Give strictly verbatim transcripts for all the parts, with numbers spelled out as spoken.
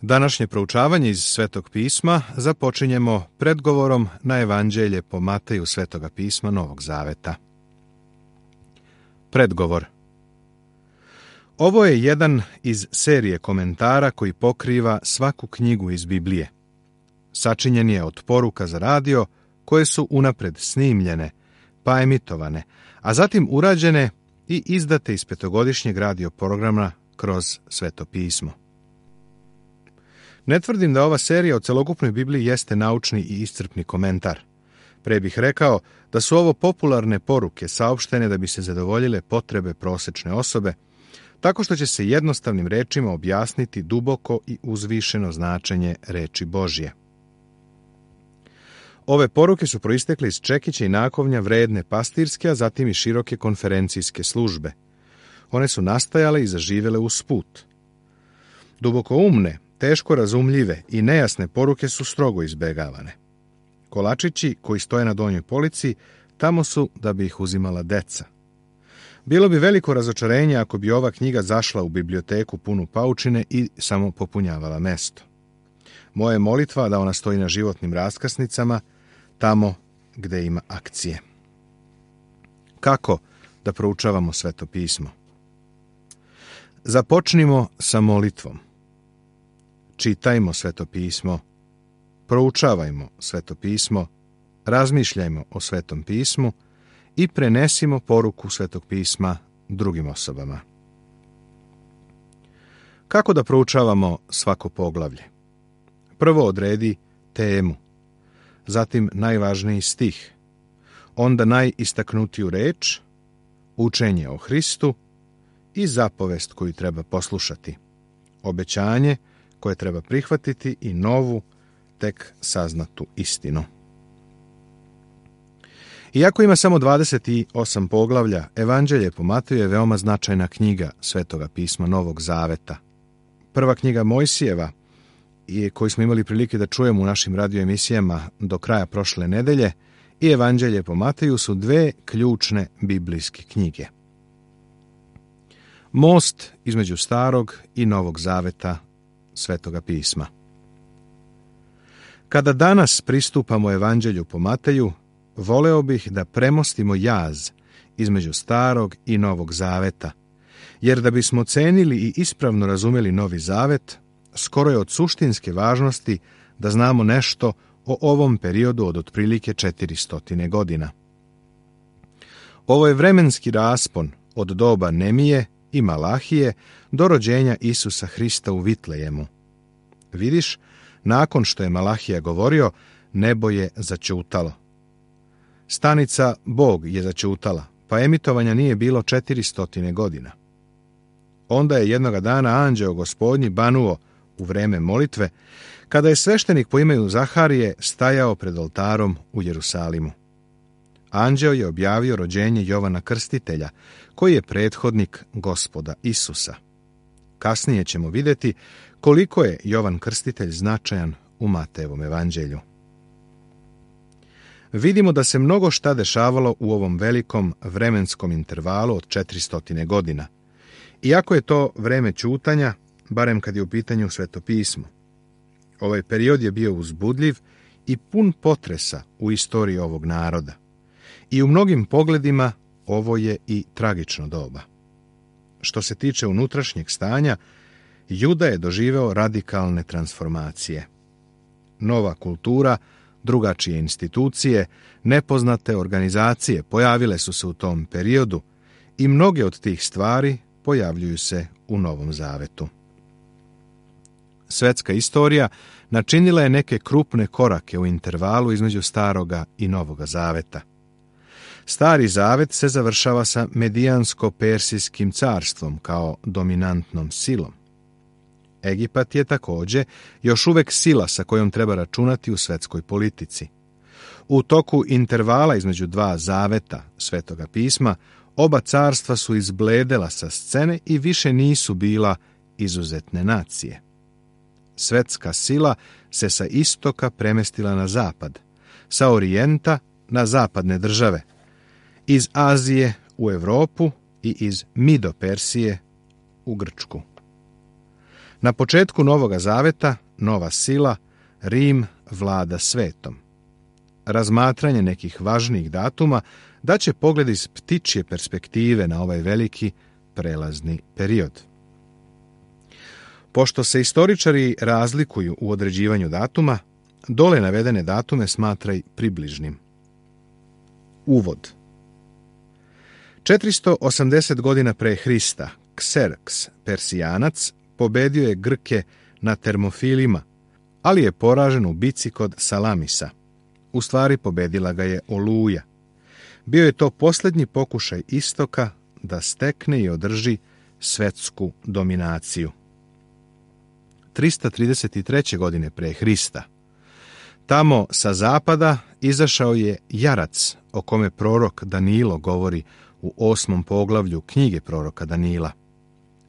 Današnje proučavanje iz Svetog pisma započinjemo predgovorom na Evanđelje po Mateju Svetoga pisma Novog Zaveta. Predgovor. Ovo je jedan iz serije komentara koji pokriva svaku knjigu iz Biblije. Sačinjen je od poruka za radio koje su unapred snimljene, pa emitovane, a zatim urađene i izdate iz petogodišnjeg radio programa kroz Sveto pismo. Ne tvrdim da ova serija o celokupnoj Bibliji jeste naučni i iscrpni komentar. Pre bih rekao da su ovo popularne poruke saopštene da bi se zadovoljile potrebe prosečne osobe, tako što će se jednostavnim rečima objasniti duboko i uzvišeno značenje reči Božje. Ove poruke su proistekle iz čekića i nakovnja vredne pastirske, a zatim i široke konferencijske službe. One su nastajale i zaživele usput. Duboko umne, teško razumljive i nejasne poruke su strogo izbegavane. Kolačići koji stoje na donjoj polici, tamo su da bi ih uzimala deca. Bilo bi veliko razočarenje ako bi ova knjiga zašla u biblioteku punu paučine i samo popunjavala mesto. Moja je molitva da ona stoji na životnim raskrsnicama, tamo gde ima akcije. Kako da proučavamo Sveto pismo? Započnimo sa molitvom. Čitajmo Sveto pismo, proučavajmo Sveto pismo, razmišljajmo o Svetom pismu i prenesimo poruku Svetog pisma drugim osobama. Kako da proučavamo svako poglavlje? Prvo odredi temu, zatim najvažniji stih, onda najistaknutiju reč, učenje o Hristu i zapovest koju treba poslušati, obećanje koje treba prihvatiti i novu, tek saznatu istinu. Iako ima samo dvadeset osam poglavlja, Evanđelje po Mateju je veoma značajna knjiga Svetoga pisma Novog Zaveta. Prva knjiga Mojsijeva, koju smo imali prilike da čujemo u našim radio emisijama do kraja prošle nedelje, i Evanđelje po Mateju su dve ključne biblijske knjige. Most između Starog i Novog Zaveta Svetoga pisma. Kada danas pristupamo Evanđelju po Mateju, voleo bih da premostimo jaz između Starog i Novog Zaveta, jer da bismo cenili i ispravno razumjeli Novi Zavet, skoro je od suštinske važnosti da znamo nešto o ovom periodu od otprilike četiristo godina. Ovo je vremenski raspon od doba Nemije i Malahije do rođenja Isusa Hrista u Vitlejemu. Vidiš, nakon što je Malahija govorio, nebo je zaćutalo. Stanica Bog je zaćutala, pa emitovanja nije bilo četiristo godina. Onda je jednoga dana anđeo Gospodnji banuo u vreme molitve, kada je sveštenik po imenu Zaharije stajao pred oltarom u Jerusalimu. Anđeo je objavio rođenje Jovana Krstitelja, koji je prethodnik Gospoda Isusa. Kasnije ćemo vidjeti koliko je Jovan Krstitelj značajan u Matejevom evanđelju. Vidimo da se mnogo šta dešavalo u ovom velikom vremenskom intervalu od četiristo godina. Iako je to vreme ćutanja, barem kad je u pitanju Sveto pismo. Ovaj period je bio uzbudljiv i pun potresa u istoriji ovog naroda. I u mnogim pogledima ovo je i tragično doba. Što se tiče unutrašnjeg stanja, Juda je doživeo radikalne transformacije. Nova kultura, drugačije institucije, nepoznate organizacije pojavile su se u tom periodu i mnoge od tih stvari pojavljuju se u Novom Zavetu. Svetska istorija načinila je neke krupne korake u intervalu između Staroga i Novoga Zaveta. Stari Zavet se završava sa Medijansko-Persijskim carstvom kao dominantnom silom. Egipat je također još uvek sila sa kojom treba računati u svetskoj politici. U toku intervala između dva zaveta Svetoga pisma, oba carstva su izbledela sa scene i više nisu bila izuzetne nacije. Svetska sila se sa istoka premestila na zapad, sa orijenta na zapadne države, iz Azije u Europu i iz Mido Persije u Grčku. Na početku Novoga zaveta, nova sila, Rim vlada svetom. Razmatranje nekih važnijih datuma daće pogled iz ptičje perspektive na ovaj veliki prelazni period. Pošto se istoričari razlikuju u određivanju datuma, dole navedene datume smatraj približnim. Uvod. četiristo osamdeset godina pre Hrista, Kserks, Persijanac, pobedio je Grke na Termofilima, ali je poražen u bici kod Salamisa. U stvari pobedila ga je Oluja. Bio je to posljednji pokušaj istoka da stekne i održi svetsku dominaciju. trista trideset treće godine pre Hrista. Tamo sa zapada izašao je jarac o kome prorok Danilo govori u osmom poglavlju knjige proroka Danila.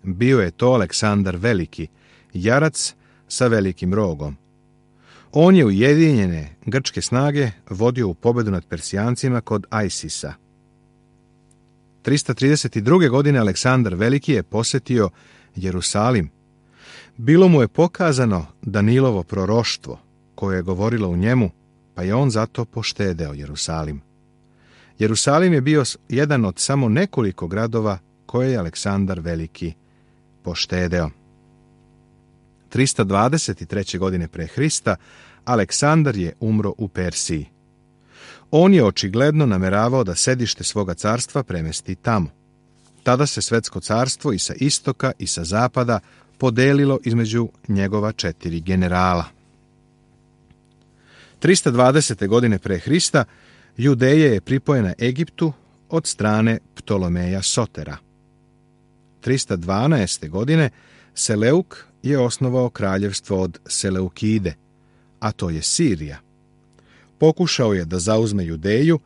Bio je to Aleksandar Veliki, jarac sa velikim rogom. On je ujedinjene grčke snage vodio u pobedu nad Persijancima kod Ajsisa. trista trideset druge godine Aleksandar Veliki je posjetio Jerusalim. Bilo mu je pokazano Danilovo proroštvo koje je govorilo u njemu, pa je on zato poštedeo Jerusalim. Jerusalim je bio jedan od samo nekoliko gradova koje je Aleksandar Veliki poštedeo. trista dvadeset treće godine pre Hrista Aleksandar je umro u Persiji. On je očigledno nameravao da sedište svoga carstva premesti tamo. Tada se svetsko carstvo i sa istoka i sa zapada podelilo između njegova četiri generala. trista dvadesete godine pre Hrista Judeja je pripojena Egiptu od strane Ptolomeja Sotera. trista dvanaeste godine Seleuk je osnovao kraljevstvo od Seleukide, a to je Sirija. Pokušao je da zauzme Judeju,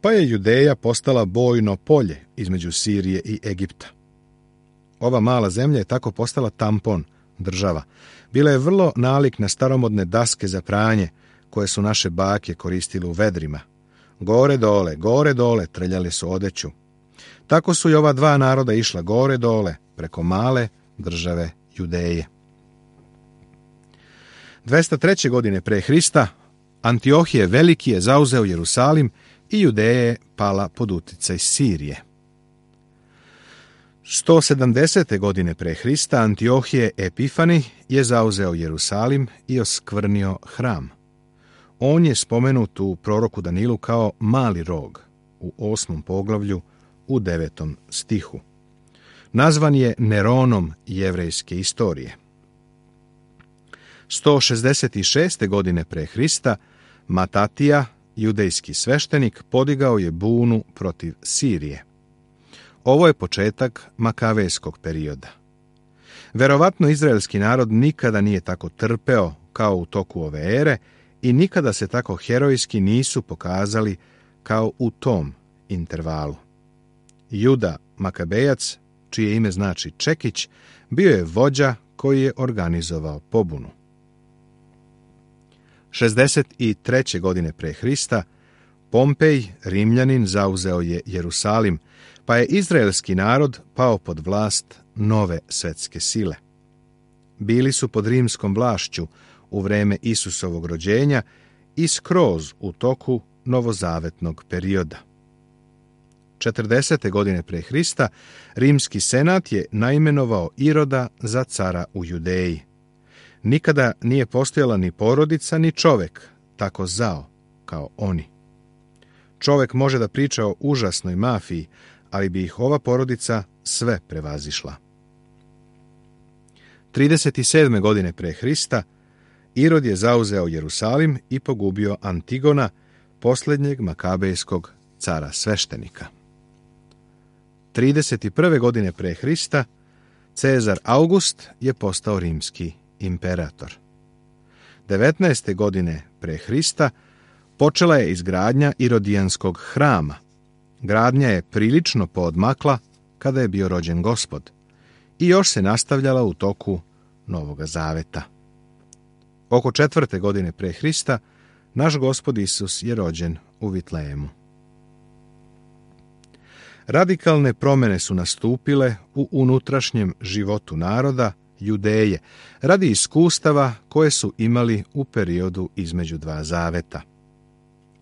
pa je Judeja postala bojno polje između Sirije i Egipta. Ova mala zemlja je tako postala tampon država. Bila je vrlo nalik na staromodne daske za pranje koje su naše bake koristile u vedrima. Gore dole, gore dole trljali su odeću. Tako su i ova dva naroda išla gore dole preko male države Judeje. dvesta treće godine pre Hrista Antiohije Veliki je zauzeo Jerusalim i Judeja je pala pod uticaj Sirije. sto sedamdesete godine pre Hrista Antiohije Epifani je zauzeo Jerusalim i oskvrnio hram. On je spomenut u proroku Danilu kao mali rog u osmom poglavlju u devetom stihu. Nazvan je Neronom jevrejske istorije. sto šezdeset šeste godine pre Hrista Matatija, judejski sveštenik, podigao je bunu protiv Sirije. Ovo je početak makavejskog perioda. Verovatno izraelski narod nikada nije tako trpeo kao u toku ove ere i nikada se tako herojski nisu pokazali kao u tom intervalu. Juda Makabejac, čije ime znači Čekić, bio je vođa koji je organizovao pobunu. šezdeset treće godine pre Hrista Pompej, Rimljanin, zauzeo je Jerusalim, pa je izraelski narod pao pod vlast nove svetske sile. Bili su pod rimskom vlašću u vreme Isusovog rođenja i skroz u toku novozavetnog perioda. četrdesete godine pre Hrista rimski senat je naimenovao Iroda za cara u Judeji. Nikada nije postojala ni porodica ni čovek tako zao kao oni. Čovek može da priča o užasnoj mafiji, ali bi ih ova porodica sve prevazišla. trideset sedme godine pre Hrista Irod je zauzeo Jerusalim i pogubio Antigona, posljednjeg makabejskog cara sveštenika. trideset prve godine pre Hrista Cezar August je postao rimski imperator. devetnaeste godine pre Hrista počela je izgradnja Irodijanskog hrama. Gradnja je prilično poodmakla kada je bio rođen Gospod i još se nastavljala u toku Novoga zaveta. Oko četvrte godine pre Hrista naš Gospod Isus je rođen u Vitlejemu. Radikalne promjene su nastupile u unutrašnjem životu naroda Judeje, radi iskustava koje su imali u periodu između dva zaveta.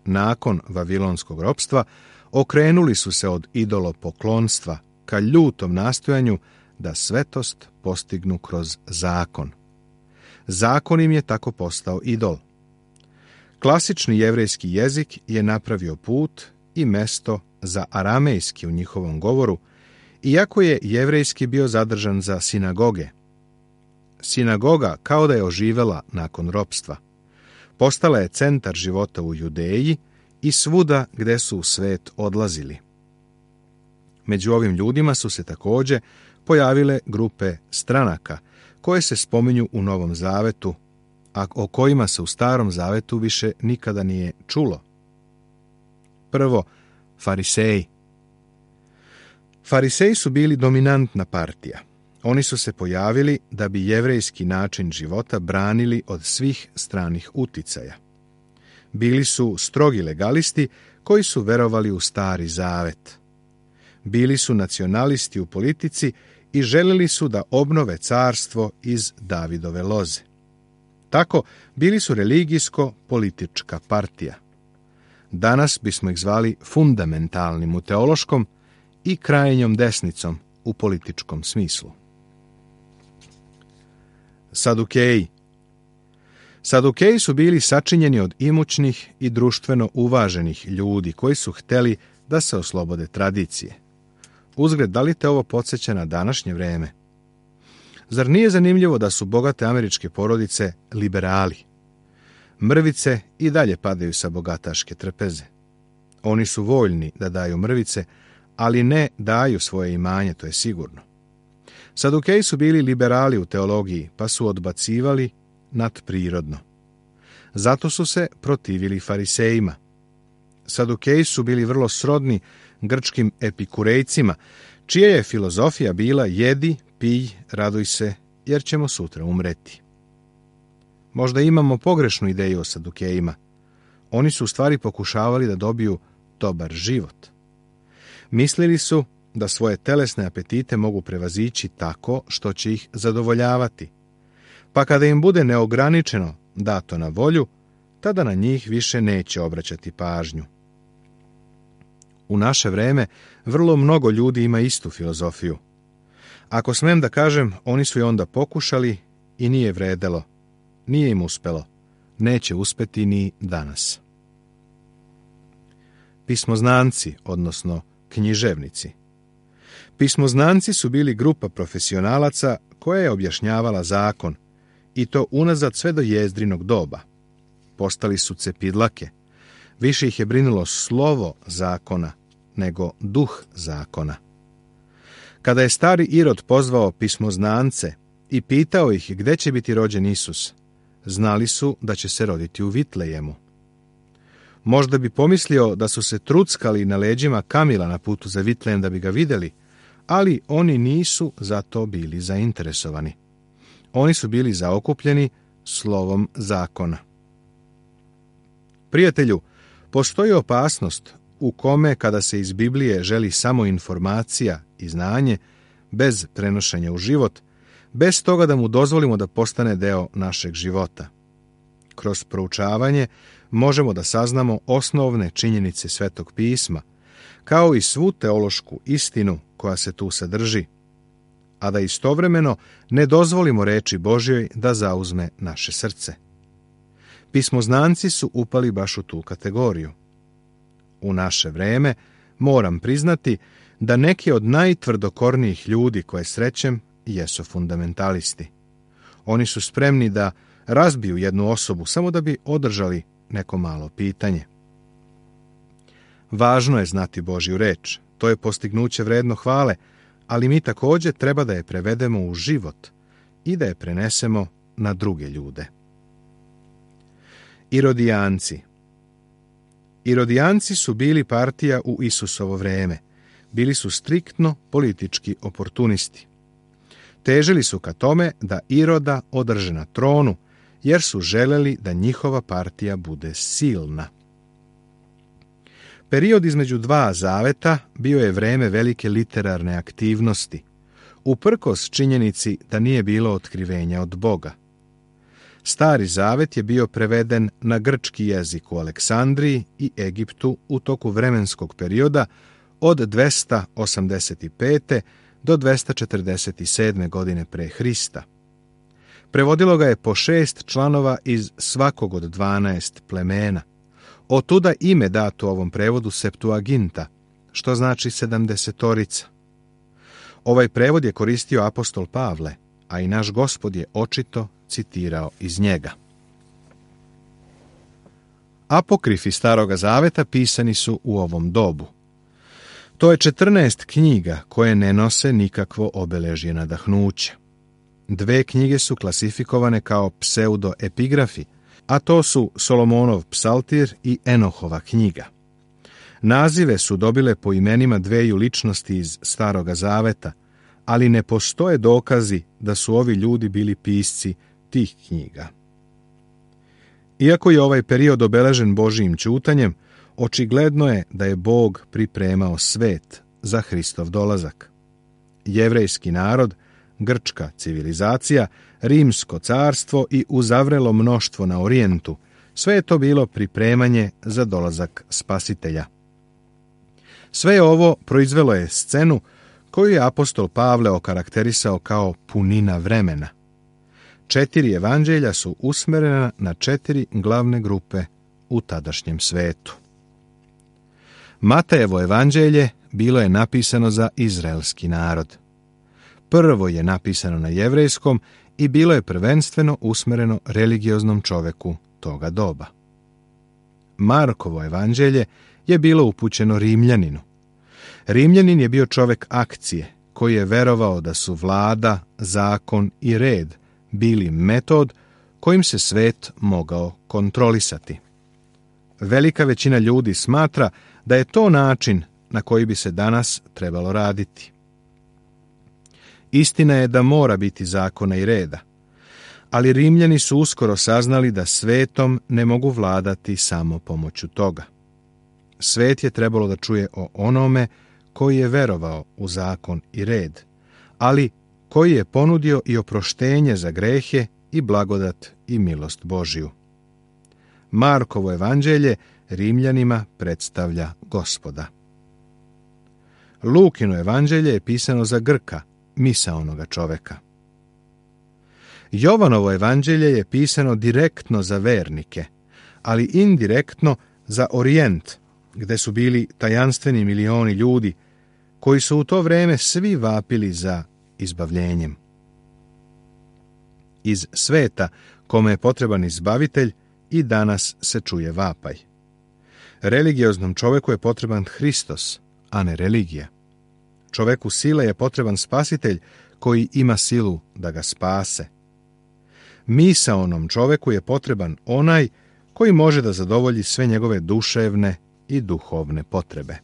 Nakon vavilonskog ropstva okrenuli su se od idolopoklonstva ka ljutom nastojanju da svetost postignu kroz zakon. Zakon im je tako postao idol. Klasični jevrejski jezik je napravio put i mesto za aramejski u njihovom govoru, iako je jevrejski bio zadržan za sinagoge. Sinagoga kao da je oživela nakon ropstva. Postala je centar života u Judeji i svuda gde su u svet odlazili. Među ovim ljudima su se također pojavile grupe stranaka koje se spominju u Novom zavetu, a o kojima se u Starom zavetu više nikada nije čulo. Prvo, fariseji. Fariseji su bili dominantna partija. Oni su se pojavili da bi jevrejski način života branili od svih stranih uticaja. Bili su strogi legalisti koji su verovali u Stari zavet. Bili su nacionalisti u politici i željeli su da obnove carstvo iz Davidove loze. Tako, bili su religijsko-politička partija. Danas bismo ih zvali fundamentalnim u teološkom i krajnjom desnicom u političkom smislu. Sadukeji. Sadukeji su bili sačinjeni od imućnih i društveno uvaženih ljudi koji su hteli da se oslobode tradicije. Uzgled, da li te ovo podsjeća na današnje vreme? Zar nije zanimljivo da su bogate američke porodice liberali? Mrvice i dalje padaju sa bogataške trpeze. Oni su voljni da daju mrvice, ali ne daju svoje imanje, to je sigurno. Sadukeji su bili liberali u teologiji, pa su odbacivali nadprirodno. Zato su se protivili farisejima. Sadukeji su bili vrlo srodni grčkim epikurejcima, čija je filozofija bila jedi, pij, raduj se, jer ćemo sutra umreti. Možda imamo pogrešnu ideju o Sadukejima. Oni su u stvari pokušavali da dobiju dobar život. Mislili su da svoje telesne apetite mogu prevazići tako što će ih zadovoljavati. Pa kada im bude neograničeno dato na volju, tada na njih više neće obraćati pažnju. U naše vreme vrlo mnogo ljudi ima istu filozofiju. Ako smem da kažem, oni su je onda pokušali i nije vredelo. Nije im uspelo. Neće uspeti ni danas. Pismoznanci, odnosno književnici. Pismoznanci su bili grupa profesionalaca koja je objašnjavala zakon, i to unazad sve do Jezdrinog doba. Postali su cepidlake. Više ih je brinulo slovo zakona nego duh zakona. Kada je stari Irod pozvao pismoznance i pitao ih gde će biti rođen Isus, znali su da će se roditi u Vitlejemu. Možda bi pomislio da su se truckali na leđima kamila na putu za Vitlejem da bi ga vidjeli, ali oni nisu za to bili zainteresovani. Oni su bili zaokupljeni slovom zakona. Prijatelju, postoji opasnost u kome kada se iz Biblije želi samo informacija i znanje, bez prenošenja u život, bez toga da mu dozvolimo da postane deo našeg života. Kroz proučavanje možemo da saznamo osnovne činjenice Svetog pisma, kao i svu teološku istinu koja se tu sadrži, a da istovremeno ne dozvolimo reči Božjoj da zauzme naše srce. Pismoznanci su upali baš u tu kategoriju. U naše vreme moram priznati da neki od najtvrdokornijih ljudi koje srećem jesu fundamentalisti. Oni su spremni da razbiju jednu osobu samo da bi održali neko malo pitanje. Važno je znati Božju reč, to je postignuće vredno hvale, ali mi također treba da je prevedemo u život i da je prenesemo na druge ljude. Irodijanci. Irodijanci su bili partija u Isusovo vreme. Bili su striktno politički oportunisti. Težili su ka tome da Iroda održe na tronu, jer su želeli da njihova partija bude silna. Period između dva zaveta bio je vreme velike literarne aktivnosti. uprkos činjenici da nije bilo otkrivenja od Boga. Stari zavet je bio preveden na grčki jezik u Aleksandriji i Egiptu u toku vremenskog perioda od dvesta osamdeset pete do dvesta četrdeset sedme godine pre Hrista. Prevodilo ga je po šest članova iz svakog od dvanaest plemena. Otuda ime dato ovom prevodu Septuaginta, što znači sedamdesetorica. Ovaj prevod je koristio apostol Pavle, a i naš Gospod je očito citirao iz njega. Apokrifi Staroga zaveta pisani su u ovom dobu. To je četrnaest knjiga koje ne nose nikakvo obeležje nadahnuća. Dve knjige su klasifikovane kao pseudoepigrafi, a to su Solomonov psaltir i Enohova knjiga. Nazive su dobile po imenima dveju ličnosti iz Staroga zaveta, ali ne postoje dokazi da su ovi ljudi bili pisci tih knjiga. Iako je ovaj period obeležen Božijim ćutanjem, očigledno je da je Bog pripremao svet za Hristov dolazak. Jevrejski narod, grčka civilizacija, rimsko carstvo i uzavrelo mnoštvo na orijentu, sve je to bilo pripremanje za dolazak Spasitelja. Sve ovo proizvelo je scenu koju je apostol Pavle okarakterisao kao punina vremena. Četiri evanđelja su usmerena na četiri glavne grupe u tadašnjem svetu. Matejevo evanđelje bilo je napisano za izraelski narod. Prvo je napisano na jevrejskom i bilo je prvenstveno usmereno religioznom čoveku toga doba. Markovo evanđelje je bilo upućeno Rimljaninu. Rimljanin je bio čovek akcije, koji je verovao da su vlada, zakon i red bili metod kojim se svet mogao kontrolisati. Velika većina ljudi smatra da je to način na koji bi se danas trebalo raditi. Istina je da mora biti zakona i reda, ali Rimljani su uskoro saznali da svetom ne mogu vladati samo pomoću toga. Svet je trebalo da čuje o onome koji je verovao u zakon i red, ali koji je ponudio i oproštenje za grehe i blagodat i milost Božiju. Markovo evanđelje Rimljanima predstavlja Gospoda. Lukino evanđelje je pisano za Grka, misaonoga čoveka. Jovanovo evanđelje je pisano direktno za vernike, ali indirektno za Orijent, gde su bili tajanstveni milioni ljudi, koji su u to vreme svi vapili za izbavljenjem. Iz sveta, kome je potreban izbavitelj, i danas se čuje vapaj. Religioznom čoveku je potreban Hristos, a ne religija. Čoveku sile je potreban spasitelj koji ima silu da ga spase. Misaonom čoveku je potreban onaj koji može da zadovolji sve njegove duševne i duhovne potrebe.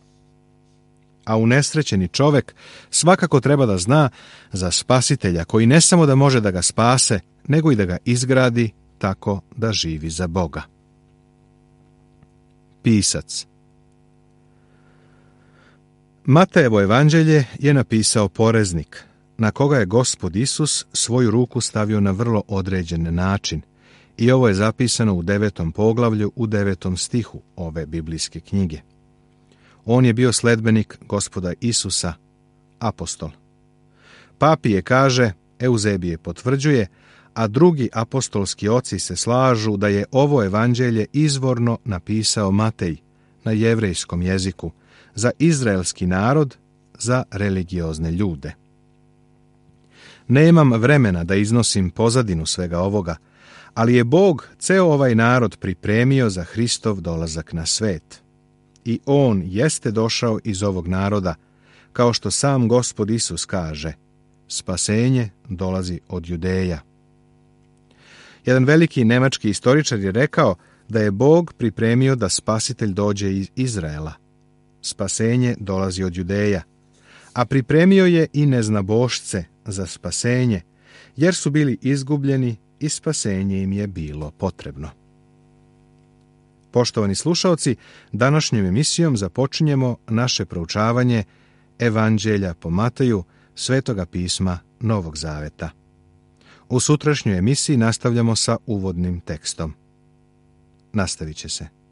A unesrećeni čovek svakako treba da zna za spasitelja koji ne samo da može da ga spase, nego i da ga izgradi tako da živi za Boga. Pisac. Matejevo evanđelje je napisao poreznik, na koga je Gospod Isus svoju ruku stavio na vrlo određen način, i ovo je zapisano u devetom poglavlju u devetom stihu ove biblijske knjige. On je bio sledbenik Gospoda Isusa, apostol. Papije kaže, Euzebije potvrđuje, a drugi apostolski oci se slažu da je ovo evanđelje izvorno napisao Matej na jevrejskom jeziku, za izraelski narod, za religiozne ljude. Nemam vremena da iznosim pozadinu svega ovoga, ali je Bog ceo ovaj narod pripremio za Hristov dolazak na svet. I on jeste došao iz ovog naroda, kao što sam Gospod Isus kaže, spasenje dolazi od Judeja. Jedan veliki nemački istoričar je rekao da je Bog pripremio da spasitelj dođe iz Izraela. Spasenje dolazi od Judeja, a pripremio je i neznabošce za spasenje, jer su bili izgubljeni i spasenje im je bilo potrebno. Poštovani slušaoci, današnjom emisijom započinjemo naše proučavanje Evanđelja po Mateju, Svetoga pisma Novog Zaveta. U sutrašnjoj emisiji nastavljamo sa uvodnim tekstom. Nastavit će se.